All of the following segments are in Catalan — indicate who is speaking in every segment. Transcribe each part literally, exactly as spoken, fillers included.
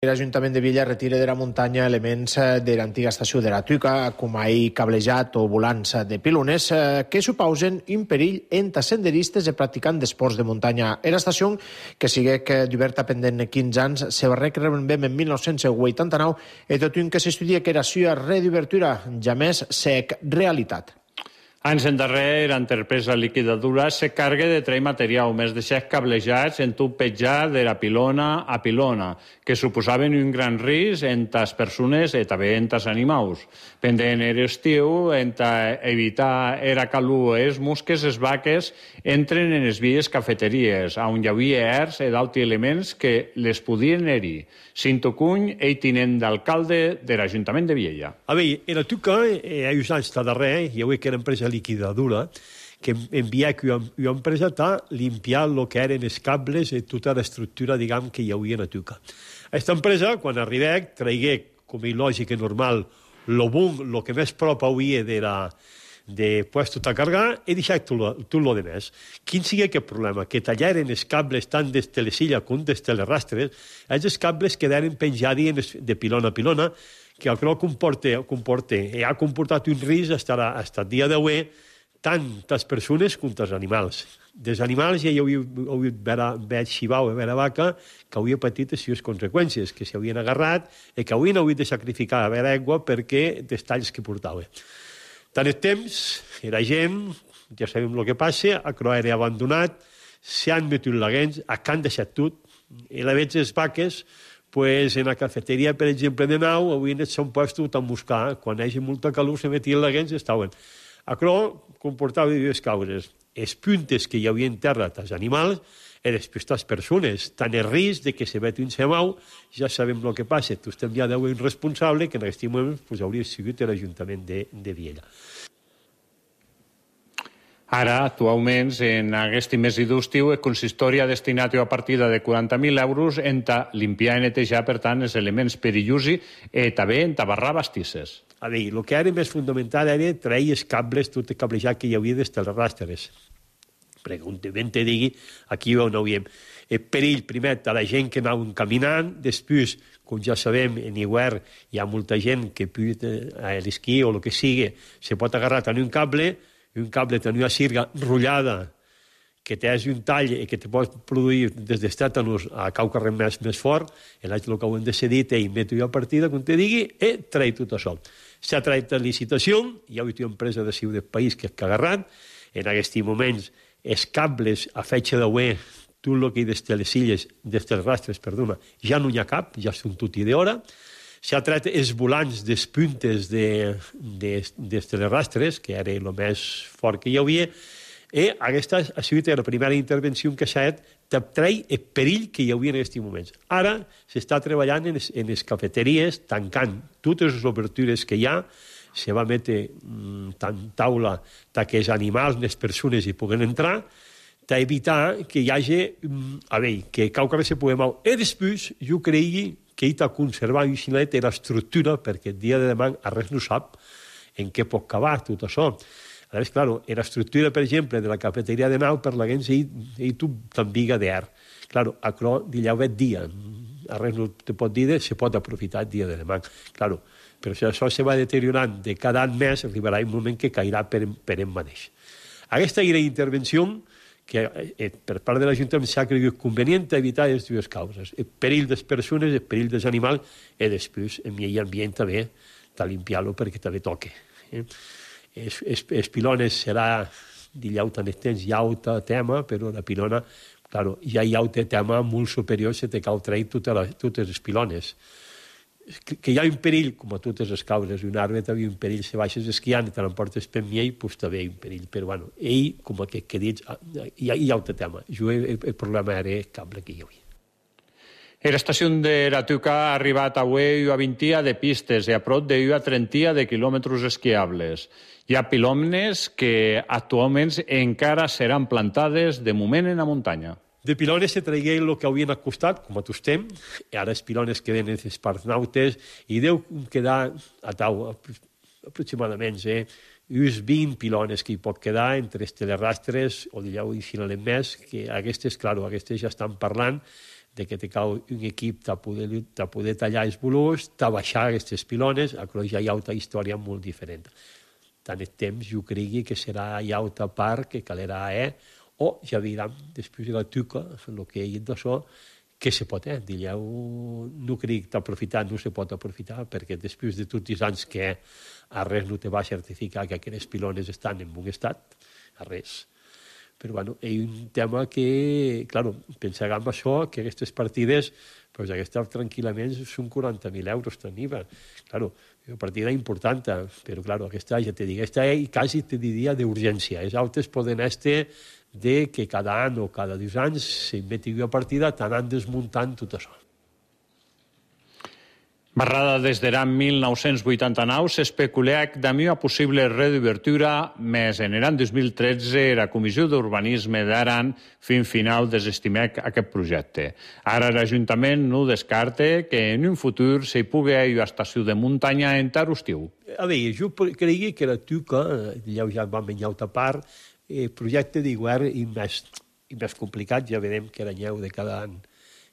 Speaker 1: L'Ajuntament de Viella retira de la muntanya elements de l'antiga estació de la Tuca, com ahir cablejat o volants de pilones, que supausen un perill entre senderistes i practicants d'esports de muntanya. L'estació, que sigue d'oberta pendent quinze anys, se va recrear en mil nou-cents vuitanta-nou i tot un que s'estudia que era seva reobertura ja més sec realitat.
Speaker 2: Anys endarrere, l'entrepesa liquidadora se carga de treure material més de set cablejats en tub petjat de la pilona a pilona, que suposaven un gran risc entre les persones i també entre els animals. Pendent l'estiu, entre evitar era calor, els mosques, les vaques, entren en les vies cafeteries, on hi havia ers i d'altres elements que les podien herir. Cinto Cuny, el tinent d'alcalde de l'Ajuntament de Viella.
Speaker 3: A veure, en la Tuca, hi ha uns anys darrere, hi havia que era empresa liquidadora, que envia que una empresa a limpiar el que eren els cables i tota l'estructura, diguem, que hi havia a la Tuca. Aquesta empresa, quan arribé, traigué, com és lògic i normal, el bum, el que més prop havia de la de puesto a cargar i deixar tot el de més. Quin sigui aquest problema? Que tallaren els cables tant des de les illes com des de les rastres, els cables quedaren penjats de pilona a pilona, que el que comporta, comporta i ha comportat un risc fins al dia d'avui, tant les persones com els animals. Dels animals ja hi havia hagut xivau i vera vaca que havia patit les seves conseqüències, que s'havien agarrat i que havien hagut de sacrificar a vera aigua perquè dels talls que portava. Tant el temps, la gent, ja sabem el que passa, a Croà era abandonat, s'han metut laguens, han deixat tot, i la veig les vaques, pues en la cafeteria, per exemple, de Nau, avui s'han puestos a buscar, quan hi hagi molta calor, se metien laguens i estaven. A Croà comportava dues causes, els puntes que hi havia en terra dels animals i després les persones, tant el risc de que se meti un semau, ja sabem el que passa, tu estem ja d'avui responsable, que en aquest moment pues, hauria sigut l'Ajuntament de, de Viella.
Speaker 2: Ara, actualment, en aquest mes d'estiu, el consistori ha destinat una partida de quaranta mil euros en limpiar i netejar, per tant, els elements perillosos i també en barrar bastisses.
Speaker 3: A veure, el que era més fonamental era treure els cables, tot el cablejat que hi havia des de les rastres. Perquè un moment te digui, aquí on ho veiem. El perill, primer, a la gent que anaven caminant, després, com ja sabem, en hivern hi ha molta gent que a l'esquí o el que sigui, se pot agarrar a un cable, un cable tenia una cirga rotllada, que tens un tall i que te pot produir des dels tètanos a cau carrer més, més fort, i l'haig el que ho hem decidit i meto jo a partida, com te digui, i traig tot això. S'ha tret a licitació, hi ha una empresa de Ciutat del País que ha agarrat, en aquests moments els cables a fetge d'avui, tot el que hi des de les illes, des dels rastres, perdona, ja no hi ha cap, ja són tot i d'hora. S'ha tret els volants dels puntes de, de, des de les rastres, que era el més fort que hi havia, i aquesta ha sigut la primera intervenció que s'ha fet de treure el perill que hi havia en aquests moments. Ara s'està treballant en les, en les cafeteries, tancant totes les obertures que hi ha, se va metre mm, tant taula que els animals, les persones hi puguen entrar, d'evitar que hi hagi, mm, a veure, que cau que se pugui moure. I després, jo cregui que hi ha de conservar un xinet l'estructura, perquè el dia de demà a res no sap en què pot acabar tot això. A més, clar, l'estructura, per exemple, de la cafeteria de Nau, per la gent, hi tu t'enviga d'air. Clar, a Cro, d'allà ve dia. A res no te pot dir, se pot aprofitar el dia de demà. Clar, però si això se va deteriorant de cada any més, arribarà un moment que cairà per, per en mateix. Aquesta era la intervenció que eh, per part de l'Ajuntament s'ha cregut convenient evitar les dues causes. El perill de les persones, el perill dels animals, i després, en mi ambient també, de limpiar-lo perquè també toca. Eh? Els, els, els pilones serà d'illà tan extens, hi ha altre tema, però la pilona, claro, ja hi ha altre tema molt superior, se te cal treure totes, totes les pilones. Que, que hi ha un perill, com a totes les causes, un arbre també un perill, se baixes esquiant i te l'emportes per miell, doncs també hi ha un perill, però bueno, ell, com que, que dits, hi ha, hi ha altre tema. Jo, el, el problema era el cable que hi havia.
Speaker 2: L'estació de la Tuca ha arribat avui a vint de pistes i a prop de trenta de quilòmetres esquiables. Hi ha pilones que actualment encara seran plantades de moment en la muntanya.
Speaker 3: De pilones se traigué el que havien acostat, com a tu estem, i ara els pilones queden en les parts nautes, i deu quedar a tau aproximadament, eh, uns vint pilones que hi pot quedar entre els telerastres, o d'allà ho deixin més, que aquestes, clar, aquestes ja estan parlant de que te cau un equip de poder, de poder tallar els volors, de baixar aquestes pilones, però ja hi ha una història molt diferent. Tant el temps, jo crec que serà hi ha una part que calerà, eh? O ja veurem, després de la tuca, el que he dit d'això, què se pot, eh? Dilleu, no crec que aprofitar, no se pot aprofitar, perquè després de tots els anys que a res no te va certificar que aquestes pilones estan en bon estat, a res. Però, bueno, és un tema que, claro, pensarà en això, que aquestes partides, pues, aquestes tranquil·lament són quaranta mil euros en I V A. Claro, una partida important, però, claro, aquesta, ja te dic, aquesta és quasi, te diria, d'urgència. Els altres poden estar de que cada any o cada dos anys s'inventi una partida, t'anan desmuntant tot això.
Speaker 2: Barrada des de l'any mil nou-cents vuitanta-nou s'especulà damb una possible reobertura, més en l'any dos mil tretze la Comissió d'Urbanisme d'Aran fin final desestimà aquest projecte. Ara l'Ajuntament no descarta que en un futur s'hi pugui haver una estació de muntanya en Tarostiu.
Speaker 3: A veure, jo crec que la tuca, ja vam menjar una part, el projecte de govern és més, més complicat, ja veurem que l'anyeu de cada any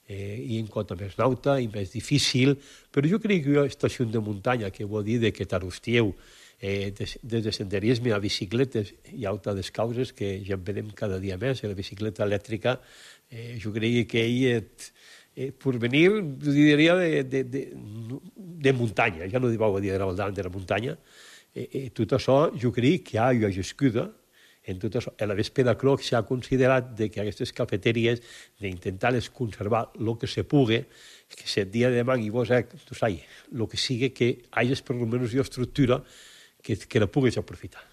Speaker 3: eh, i en compte més nauta i més difícil, però jo crec que una estació de muntanya, que vol dir que Tarostiu, eh, des, des de senderisme a bicicletes, hi ha altres causes que ja en vedem cada dia més, la bicicleta elèctrica, eh, jo crec que ell és, eh, per venir, jo diria, de, de, de, de muntanya, ja no diu dir de la de la muntanya, eh, eh, tot això jo crec que hi ha una gescuda. En tot això, a la vespre de Croc s'ha considerat de que aquestes cafeteries d'intentar-les conservar el que se pugui, que si el dia de demà i vos, eh, tu saps, el que sigui que hi hagi per almenys una estructura que, que la puguis aprofitar.